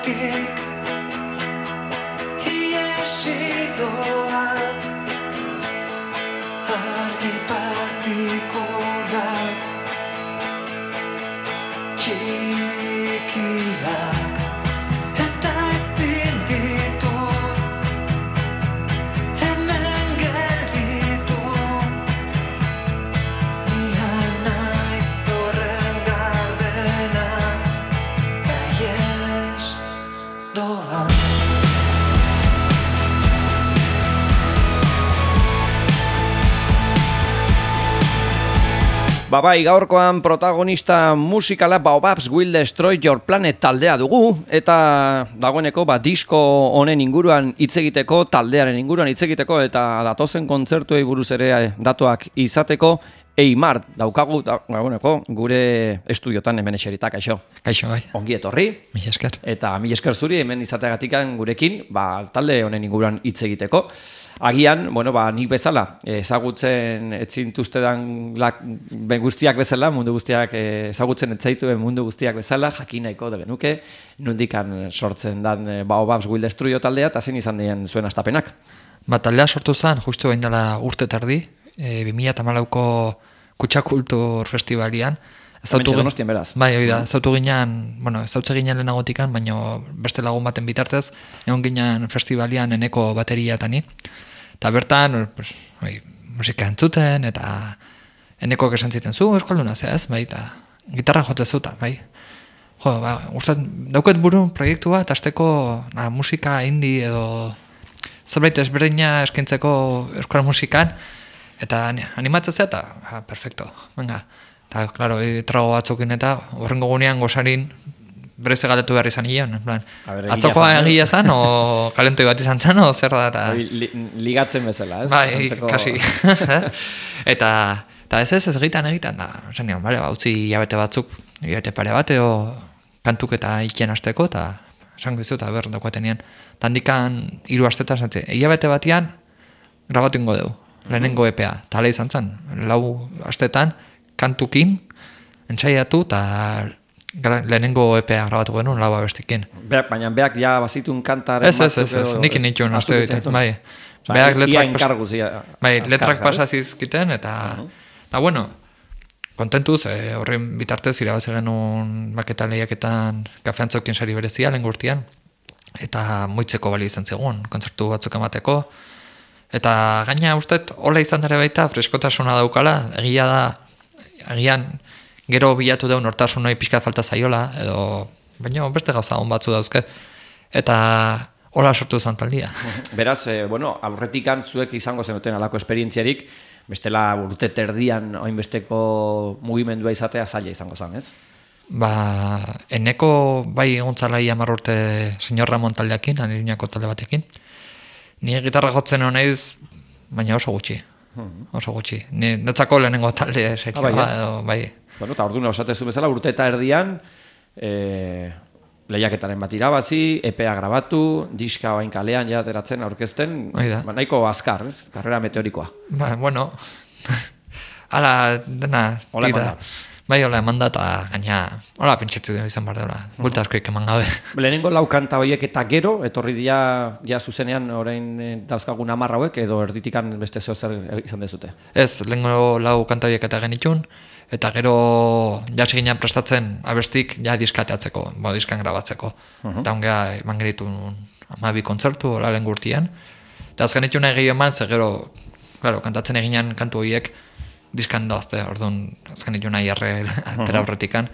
Zergatik iesi doaz argi partikula txikiak eta ezin ditut hemen gelditu nian naiz horren gardena eta ies doa. Bai, gaurkoan protagonista musikala Baobabs Will Destroy Your Planet taldea dugu, eta dagoeneko disko honen inguruan hitz egiteko, taldearen inguruan hitz egiteko, eta datozen kontzertuei buruz ere datuak izateko, Eimar daukagu dagoeneko gure estudiotan hemen eserita, kaixo. Kaixo, bai. Ongi etorri. Mila esker. Eta mila esker zuri hemen izateagatikan gurekin, talde honen inguruan hitz egiteko. Agian, nik bezala, ezagutzen etzintuztedan guztiak bezala, mundu guztiak ezagutzen etzaituen mundu guztiak bezala, jakin nahiko da genuke, nondikan sortzen dan Baobabs Will Destroy taldea, eta zein izan dien zuen astapenak? Taldea sortu zen, justu behin dela urte terdi, 2014ko Kutsakultur Festivalian. Hementxe Donostian beraz. Bai, hori da, ezautu ginen, ezautze ginen lehenagotikan, baina beste lagun baten bitartez, egon ginen festivalian eneko bateria eta ni. Eta bertan, musika entzuten, eta enekok esan ziten zu, euskalduna ez, bai, eta gitarra jote zuta, bai. Dauket buru proiektu bat, azteko musika indie edo zerbait ezberdina eskaintzeko euskal musikan, eta animatzea eta, perfecto, venga. Eta, klaro, trago batzukin eta horrengo gunean gozarin bereze galdetu behar izan hilean. Atzokoa egia zan, o kalentoi bat izan zan, o zer da. Ligatzen bezala, ez? Bai, kasi. Eta ez egiten, da. Zenion, utzi hilabete batzuk, hilabete pare bat, kantuk eta ikien azteko, eta esango izu, eta behar daukatenean. Tandikan 3 astetan zantzen, hilabete batian grabatu ingo dugu, lehenengo EPA. Eta hala izan zen, 4 astetan, kantukin, entsaiatu, eta lehenengo EPA grabatu genuen, 4 abestikin. Baina beak ja bazitun kantaren... Ez, nikin nituen, azte egiten, bai. Beak letrak pasazizkiten, eta kontentuz, horren bitartez, irabaze genuen maketa lehiaketan kafeantzokin sari berezia, lehen gurtian, eta moitzeko bali izan zegoen, kontzertu batzuk emateko, eta gaina usteet, hola izan dara baita, freskotasuna daukala, egia da, agian gero bilatu daun hortasun hori pixkat falta zaiola, baina beste gauza hon batzu dauzke, eta hola sortu zan taldia. Beraz, aurretikan zuek izango zenuten alako esperientziarik, bestela urte terdian oinbesteko mugimendua izatea zaila izango zen, ez? Eneko bai egontzala 10 urte Señor Ramon taldeakin, Aniruñako talde batekin. Ni gitarra jotzen honeiz, baina oso gutxi. Oso gutxi. Netzako lehenengo talde serioa edo bai. Eta orduan osatezu bezala urte eta erdian lehiaketaren bat irabazi, EPA grabatu, diska bain kalean ja ateratzen aurkezten, nahiko azkar, ez? Karrera meteorikoa. Hala dena tira. Bai, hola, emanda eta gaina, hola, pentsatzu izan behar dela, bulta askoik eman gabe. Lehenengo 4 kanta horiek eta gero, etorri dira ja zuzenean orain dauzkagun 10 hauek, edo erditikan beste zer izan dezute? Ez, lehenengo 4 kanta horiek eta genitun, eta gero jasi ginen prestatzen abestik ja diskateatzeko, diskan grabatzeko. Eta ongea eman geritu 12 kontzertu, hola lehen gurtian. Eta azken ituna egin eman, ze gero, kantatzen eginan kantu horiek, diskan dozte, orduan azken ituna jarre atera horretikan.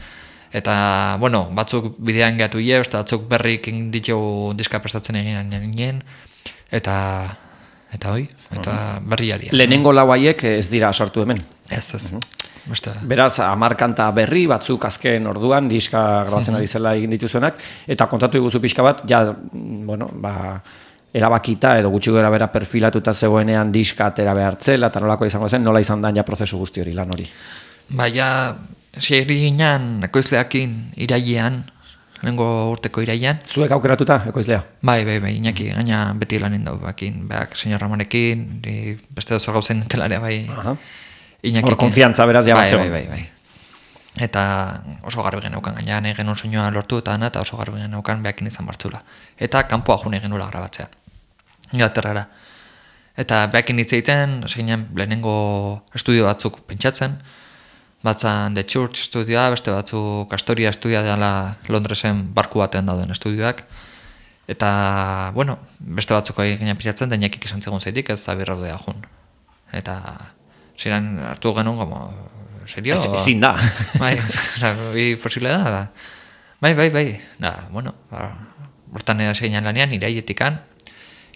Eta, batzuk bidean gehatu hile, batzuk berrik ditu diska prestatzen egin eta hoi, eta berria dira. Lehenengo 4 haiek ez dira sortu hemen? Ez. Beraz, 10 kanta berri, batzuk azken orduan, diska grabatzen ari zela egin dituzuenak, eta kontatu iguzu pixka bat, erabakita edo gutxi gara bera perfilatuta zegoenean diska atera behartzela, eta nolako izango zen, nola izan da prozesu guzti hori, lan hori? Segi ginen ekoizleakin irailean, lehenengo urteko irailean. Zuek aukeratuta ekoizlea? Bai, Iñaki, gaina beti lanin dau bakin, Señor Ramonekin, beste dozer gauzen telarea, bai. Iñaki. Hor konfiantza beraz ja bat zegoen. Bai. eta oso garbi geneukan, gaina nahi genuen soinua lortu eta dana, eta oso garbi geneukan behakin izan bartzula. Eta kanpoa june genuela grabatzea, Inglaterrara. Eta behakin hitz egiten, ginen lehenengo estudio batzuk pentsatzen, batzan The Church estudioa, beste batzuk Astoria estudioa dela Londresen barku batean dauden estudioak, eta, bueno, beste batzuk ginen pentsatzen, da inakik izan zegoen zaitik, ez zabirraudea jun. Eta, ziren hartu genuen, como, serio? Ezin da. Bai, hori posible da. Bai. Da, bueno, hortan hasi ginen lanean, irailetikan,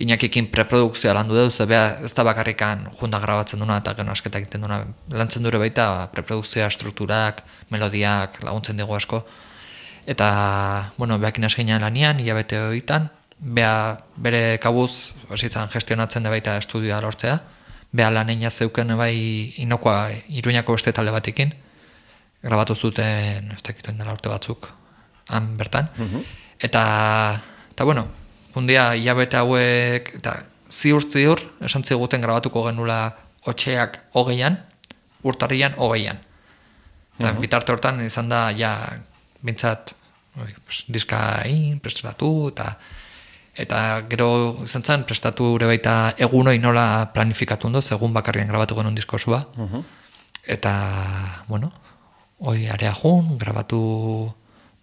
Inakikin preprodukzioa landu dut, ez da bakarrikan junda grabatzen duna eta gero asketak egiten duna. Lantzen dure baita preprodukzioa, strukturak, melodiak, laguntzen dugu asko. Eta, bueno, behakin hasi ginen lanean, hilabete horietan, bere kabuz, hasitzen gestionatzen da baita estudioa lortzea, beha laneina zeuken bai inokoa Iruñako beste talde batekin, grabatu zuten, ez dakituen dela urte batzuk, han bertan. Eta, bueno, fundia hilabete hauek, eta ziur, esan ziguten grabatuko genula otxeak 20an, urtarrian 20an. Eta bitarte hortan izan da, ja, bintzat, diska prestatu, eta gero izan zen, prestatu ere baita egunoi nola planifikatu ondo, egun bakarrian grabatu genuen diskosua. Eta, bueno, hoi area jun, grabatu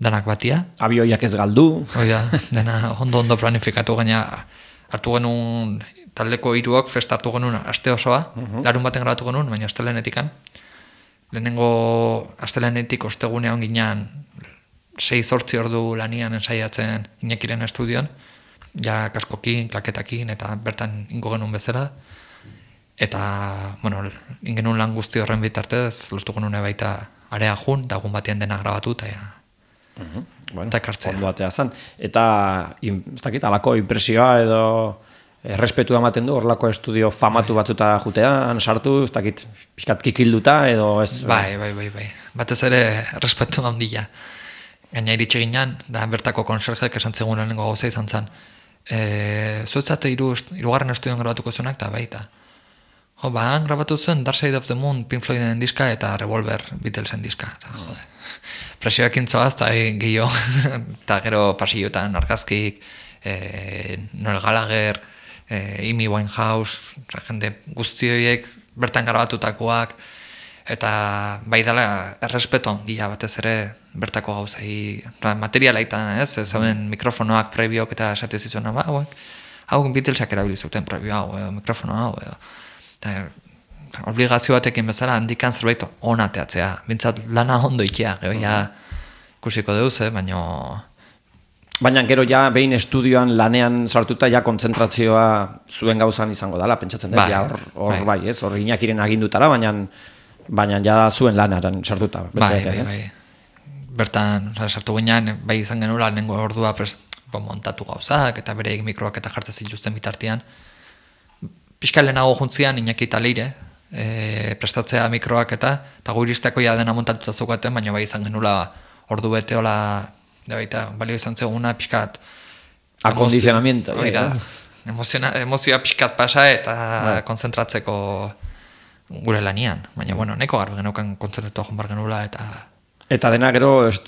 danak batia. Abioiak ez galdu. Oida, dena ondo planifikatu gaina hartu genuen taldeko hiruok festa hartu genuen aste osoa, larun baten grabatu genuen, baina astelenetikan. Lehenengo astelenetik ostegunean ginean 6-8 ordu lanian ensaiatzen Iñakiren estudioan, ja kaskokin, klaketakin, eta bertan ingo genuen bezala. Eta, bueno, ingenuen lan guzti horren bitartez, lortu genuen baita area jun, eta egun batean dena grabatu, eta Bueno, ondo atea zan. Eta, ez dakit, alako impresioa edo errespetua ematen du, horlako estudio famatu batzuta jutean, sartu, ez dakit, pixkat kikilduta edo ez... Bai. Batez ere, errespetu handia. Gaina iritsi ginen, da bertako konserjek esan zegoen lehenengo gauza izan zen. Zuetzate hirugarren estudioan grabatuko zuenak, eta baita. Han grabatu zuen Dark Side of the Moon, Pink Floyden diska, eta Revolver Beatlesen diska. Eta, jode. Presioak intzoaz, eta gehiago, eta gero pasillotan argazkik, Noel Gallagher, Amy Winehouse, jende guzti horiek bertan grabatutakoak, eta bai dela errespeto handia batez ere bertako gauzai, materialaitan, ez zauden mikrofonoak, prebiok eta esate zizuna, hau Beatlesak erabili zuten prebio hau, mikrofono hau, obligazio batekin bezala handikan zerbait onateatzea. Bintzat lana ondo ikia, ikusiko deuz, Baina gero ja behin estudioan lanean sartuta ja kontzentrazioa zuen gauzan izango dela, pentsatzen dut, hor bai, ez? Hor Iñakiren agindutara, baina ja zuen lanaren sartuta. Bai. Bertan, sartu ginean, bai izan genula, lehenengo ordua montatu gauzak, eta bere mikroak eta jartzen zituzten bitartean. Piskal lehenago juntzian, Iñaki eta Leire, prestatzea mikroak eta guiristeko ja dena montatuta zeukaten, baina bai izan genula ordu bete hola, balio izan zeguna pixkat akondizionamiento. Emozioa pixkat pasa eta konzentratzeko gure lanian, baina nahiko garbi geneukan konzentratu joan bar genula eta dena gero ez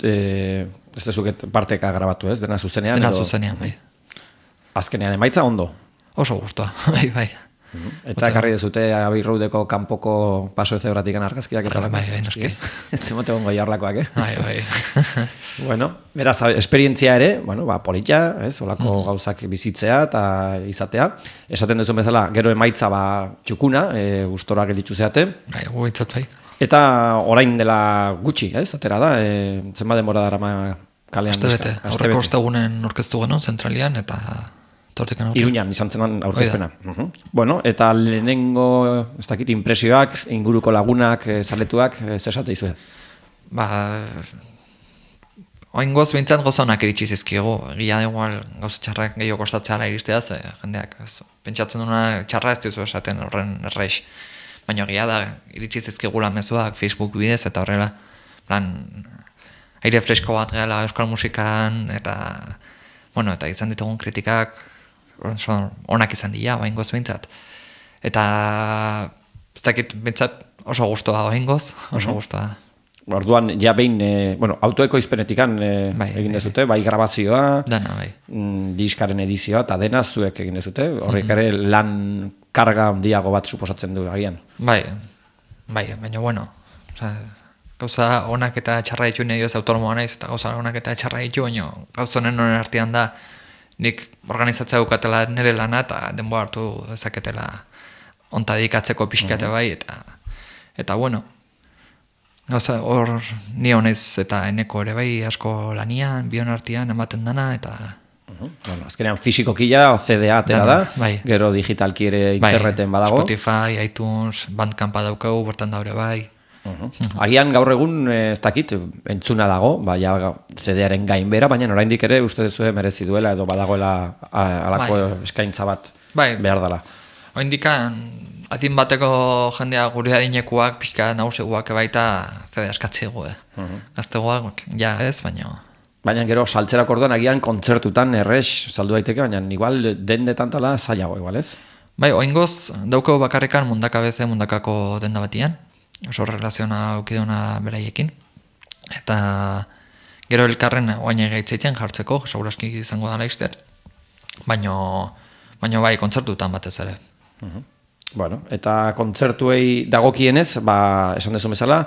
dezuket parteka grabatu, ez? Dena zuzenean? Dena zuzenean, bai. Azkenean emaitza ondo? Oso guztua, bai. Eta ekarri dezute Abbey Roadeko kanpoko paso ezebratik argazkiak eta bai, noski. Ez zemote gongo jarlakoak, Bai. Bueno, beraz, esperientzia ere, polita, ez, olako gauzak bizitzea eta izatea. Esaten duzu bezala, gero emaitza txukuna, gustora gelditu zeate. Bai, guitzat bai. Eta orain dela gutxi, ez, atera da, zenba denbora darama kalean. Astebete, aurreko ostegunen orkestu genuen, zentralian, eta... Iruñan izan zenan aurkezpena. Bueno, eta lehenengo, ez dakit, impresioak, inguruko lagunak, zaletuak, zesate izue? Oingoz bintzat gozonak iritsi zizkigu. Egia igual gauza txarrak gehiago kostatzeala iristea, jendeak, pentsatzen duna txarra ez dizu esaten horren erreix. Baina egia da, iritsi zizkigula mezuak, Facebook bidez, eta horrela, aire fresko bat gehala euskal musikan, eta izan ditugun kritikak, onak izan dira, oingoz bintzat. Eta, ez dakit, bintzat oso guztua oingoz, oso guztua. Orduan, ja behin, autoekoizpenetikan egin dezute, bai grabazioa, Dana, bai. diskaren edizioa, eta dena zuek egin dezute, horrek ere lan karga handiago bat suposatzen du agian. Bai, baina bueno, gauza onak eta txarra ditu nahi ez autonomoa naiz, eta gauza onak eta txarra ditu, baina gauza honen artean da, nik organizatzea dukatela nire lana, eta denboa hartu dezaketela onta dedikatzeko pixkate bai, eta bueno, gauza hor ni honez eta eneko ere bai asko lanian, bion artean ematen dana, eta... Bueno, azkenean fizikokila, CDA atera da, bai. Gero digitalki ere interneten badago. Spotify, iTunes, Bandcampa daukau, bertan daure bai. Agian gaur egun ez dakit entzuna dago, ja CD-aren gainbera, baina oraindik ere uste duzue merezi duela edo badagoela alako eskaintza bat behar dela. Oindikan adin bateko jendea gure adinekuak pixka naguseguak baita CD askatzegu. Gaztegoak ja ez, Baina gero saltzerak orduan agian kontzertutan errex saldu daiteke, baina igual dendetan tala zailago igual ez? Bai, oingoz daukau bakarrekan mundakako denda batian, oso relaziona aukiduna beraiekin, eta gero elkarren oain gaitzeiten jartzeko, seguraski izango dala izter, baina bai, kontzertutan batez ere. Bueno, eta kontzertuei dagokienez, esan dezu bezala,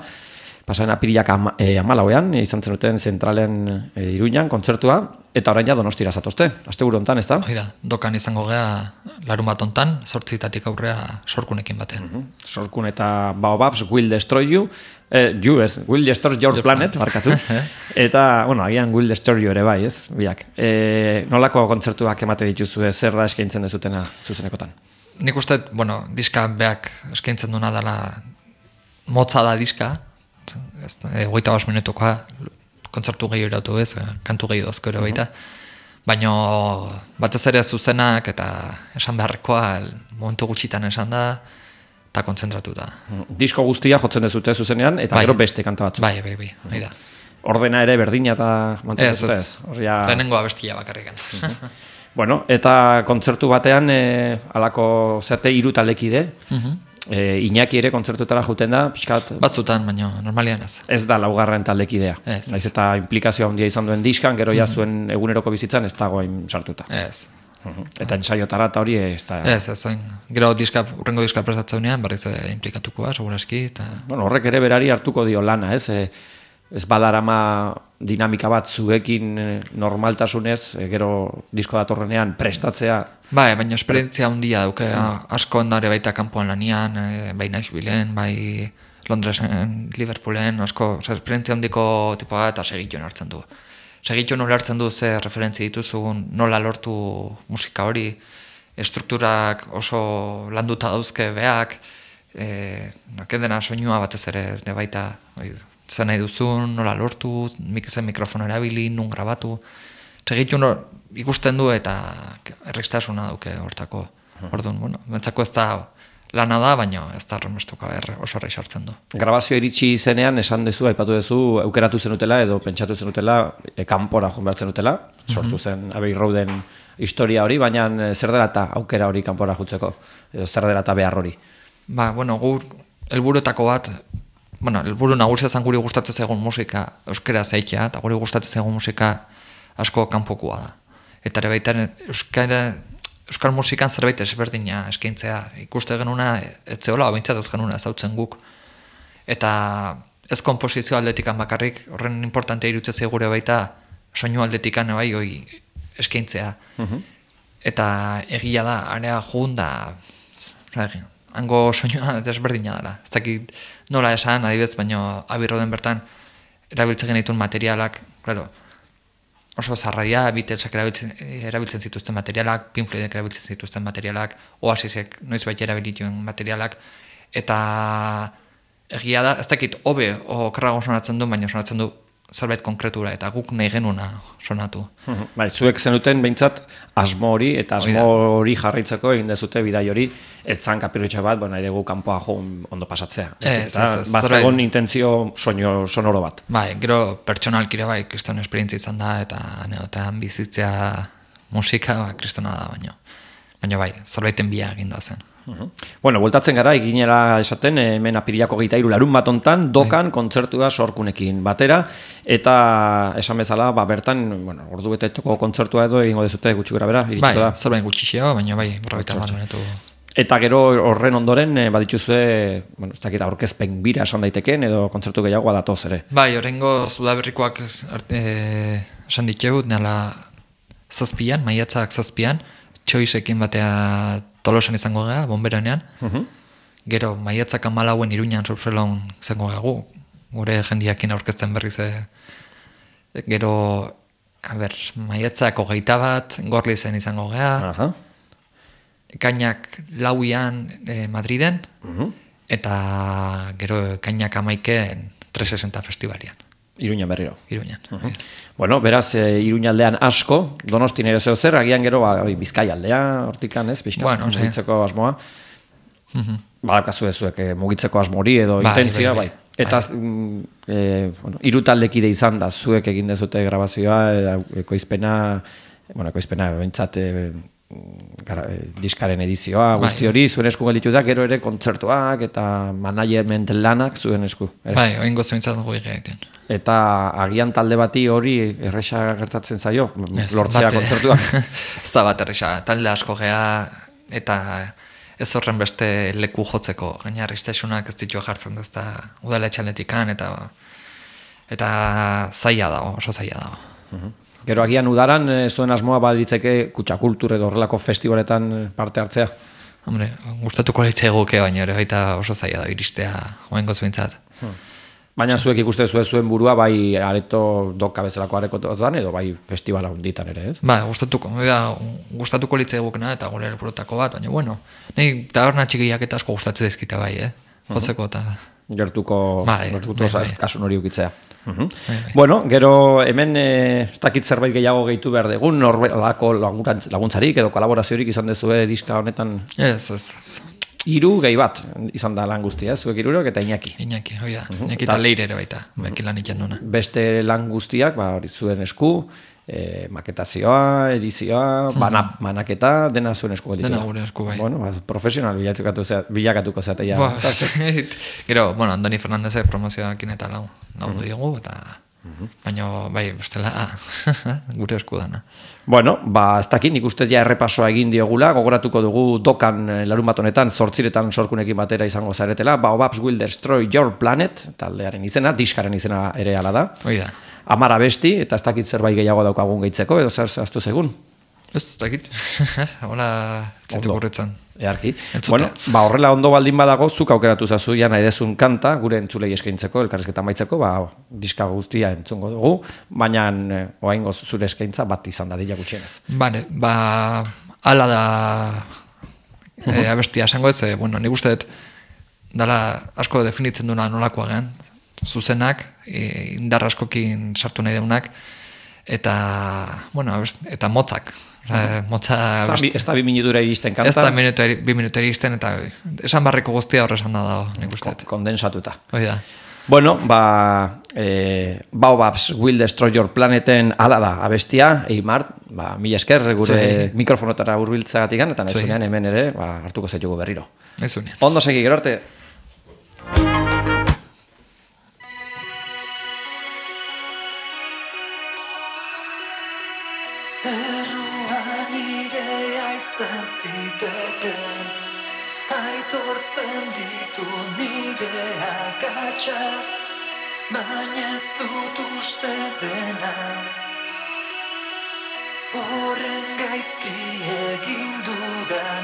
pasaen apirilak 14ean izan zenuten zentralen Iruñan kontzertua, eta orain ja Donostira zatozte, asteburu hontan, ez da? Hoi da, dokan izango gea larunbat hontan, 8 aurrea sorkunekin batean. Sorkun eta Baobabs Will Destroy You, Will Destroy Your Planet, barkatu. Eta, agian Will Destroy You ere bai, ez? Biak. Nolako kontzertuak emate dituzue, zer da eskaintzen dezutena zuzenekotan? Nik uste, diska beak eskaintzen duna dela motza da diska, 25 minutukoa, kontzertu gehi eratu ez, kantu gehi dozko ere baita, baina batez ere zuzenak eta esan beharrekoa momentu gutxitan esan da, eta kontzentratu da. Disko guztia jotzen dezute zuzenean, eta gero beste kanta batzu. Bai, hori da. Ordena ere berdina eta mantentzen ez. Lehenengo abestia bakarrikan. Bueno, eta kontzertu batean, alako zerte 3 taldekide, Iñaki ere kontzertutara juten da, pixkat... Batzutan, baina normalian ez. Ez da laugarren taldekidea. Naiz eta implikazioa handia izan duen diskan, gero ja zuen eguneroko bizitzan ez dagoen sartuta. Ez. Eta ensaiotara eta hori ez da... Ez, oin. Gero urrengo diska prestatzeunean, berriz implikatuko seguraski. Horrek ere berari hartuko dio lana, ez? Ez badarama dinamika bat zuekin normaltasunez, gero disko datorrenean prestatzea. Bai, baina esperientzia handia dauke, asko ondare baita kanpoan lanian, bai Nashvilleen, bai Londresen, Liverpoolen, asko, esperientzia handiko tipoa eta segituen hartzen du. Segituen hartzen du ze referentzia dituzugun, nola lortu musika hori, estrukturak oso landuta dauzke beak, dena soinua batez ere baita, zen nahi duzun, nola lortu, zen mikrofono erabili, nun grabatu. Segitun ikusten du eta errekstasuna dauke hortako. Orduan, bentsako ez da lana da, baina ez da horrenbestuka oso horrei sartzen du. Grabazio iritsi zenean esan dezu, aipatu dezu, aukeratu zenutela edo pentsatu zenutela, kanpora joan behar zenutela, sortu zen Abbey Roaden historia hori, baina zer dela eta aukera hori kanpora jutzeko, edo zer dela eta behar hori? Gur helburuetako bat, helburu nagusia zen guri gustatzen zaigun musika euskera zaitea, eta guri gustatzen zaigun musika asko kanpokoa da. Eta ere baita euskal musikan zerbait ezberdina eskaintzea ikuste genuna, etzeola, bintzat ez genuna ezautzen guk. Eta ez konposizio aldetikan bakarrik, horren importantea irutzea gure baita soinu aldetikan bai hoi eskaintzea. Eta egia da, area jugun da, hango soinua desberdina dela. Ez dakit nola esan, adibez, baina Abbey Roaden bertan erabiltzen genituen materialak, claro, oso zarradia, Beatlesak erabiltzen zituzten materialak, Pink Floydek erabiltzen zituzten materialak, Oasisek noizbait erabilituen materialak, eta egia da, ez dakit hobe okerrago sonatzen du, baina sonatzen du zerbait konkretura, eta guk nahi genuna sonatu. Bai, zuek zenuten behintzat asmo hori, eta asmo hori jarraitzeko egin dezute bidai hori, ez zan kapirritxe bat, nahi dugu kanpoa joan ondo pasatzea. Bazegon intentzio sonoro bat. Bai, gero pertsonalkire bai, kriston esperientzia izan da, eta neotan bizitzea musika, kristona da, baina bai, zerbaiten bia egin da zen. Bueno, bueltatzen gara, eginera esaten, hemen apirilako 23 larun bat hontan, dokan kontzertua sorkunekin batera, eta esan bezala, bertan, bueno, ordu betetoko kontzertua edo egingo dezute gutxi gora bera, iritsiko da. Zerbain gutxixeo, baina berrogeita hamar minutu. Eta gero horren ondoren, badituzue, bueno, ez dakit aurkezpen bira esan daiteken, edo kontzertu gehiagoa datoz ere. Horrengo Zudaberrikoak esan diteu, nala zazpian, maiatzak zazpian, txoizekin batea Tolosan izango gara, bonberanean. Gero, maiatzak 14 Iruñan Surselon izango gara gu, gure jendiakin aurkezten berriz. Gero, maiatzak 21 Gorlizen izango gara. Ekainak 4 Madriden, eta gero ekainak 11 360 festivalian. Iruñan berriro. Iruñan. Bueno, beraz, Iruña aldean asko, Donostin ere zer, agian gero Bizkai aldea, hortikan ez, pixka, mugitzeko asmoa. Badakazu ezuek mugitzeko asmori edo intentzia, bai. Eta hiru taldekide izan da, zuek egin dezute grabazioa, ekoizpena behintzat diskaren edizioa, guzti hori, zuen esku gelditu da, gero ere kontzertuak eta management lanak zuen esku. Oingo zuentzat dugu egiten. Eta agian talde bati hori erresa gertatzen zaio, lortzea kontzertuak. Ez da bat erresa, talde asko gea eta ez horren beste leku jotzeko, gaina arristasunak ez ditu jartzen da, ez da udala etxaletikan eta zaila dago, oso zaila dago. Gero agian udaran zuen asmoa baditzeke kutsakultur edo horrelako festivaletan parte hartzea? Hombre, gustatuko leitzea egoke, baina ere baita oso zaila da iristea oengo zuentzat. Baina zuek ikuste zuen burua bai areto doka bezalako arekotan edo bai festivala hunditan ere, ez? Gustatuko leitzea egokena eta gure helburutako bat, baina bueno, nahi taberna txikiak eta asko gustatzen dizkita bai, jotzeko eta gertuko kasun hori ukitzea. Bueno, gero hemen ez dakit zerbait gehiago gehitu behar dugun, norbelako laguntzarik edo kolaboraziorik izan dezue diska honetan? Ez. 3 gehi bat izan da lan guztia, zuek 3 eta Iñaki. Iñaki, hoi da. Iñaki eta Leire ere baita, beki lan ikan nuna. Beste lan guztiak, hori zuen esku, maketazioa, edizioa, banaketa, dena zuen esku gelditu. Dena gure esku bai. Bueno, profesional bilakatuko zeatea. Gero, Andoni Fernandezek promozioakin eta lagundu diogu, eta baina bai, bestela gure esku dana. Bueno, ez dakit, nik uste ja errepasoa egin diogula, gogoratuko dugu dokan larun bat honetan, 8 sorkunekin batera izango zaretela, Baobabs Will Destroy Your Planet, taldearen izena, diskaren izena ere ala da. Hoi da. 10 abesti, eta ez dakit zerbait gehiago daukagun gehitzeko, edo zer zehaztu segun? Ez dakit, hola txetu gurretzen. Earki. Bueno, horrela ondo baldin badago, zuk aukeratu zazu ja nahi dezun kanta, gure entzulei eskaintzeko, elkarrizketa maitzeko, diska guztia entzungo dugu, baina oaingo zure eskaintza bat izan da dila gutxienez. Bale, ala da abestia esango ez, nik uste dut dala asko definitzen duna nolakoa gehan, zuzenak, indar askokin sartu nahi deunak, eta motzak. Ez da 2 minutura iristen kanta? Ez da 2 minutura iristen, eta esan barriko guztia horre esan da dago, nik uste. Kondensatuta. Hoi da. Bueno, Baobabs Will Destroy Your Planeten ala da abestia, Eimar, mila esker gure mikrofonotara hurbiltzagatik eta nahizunean hemen ere hartuko zaitugu berriro. Nahizunean. Ondo segi, gero arte. Erruan irea izan ziteten, aitortzen ditu nire akatsak, baina ez dut uste dena. Horren gaizki egin dudan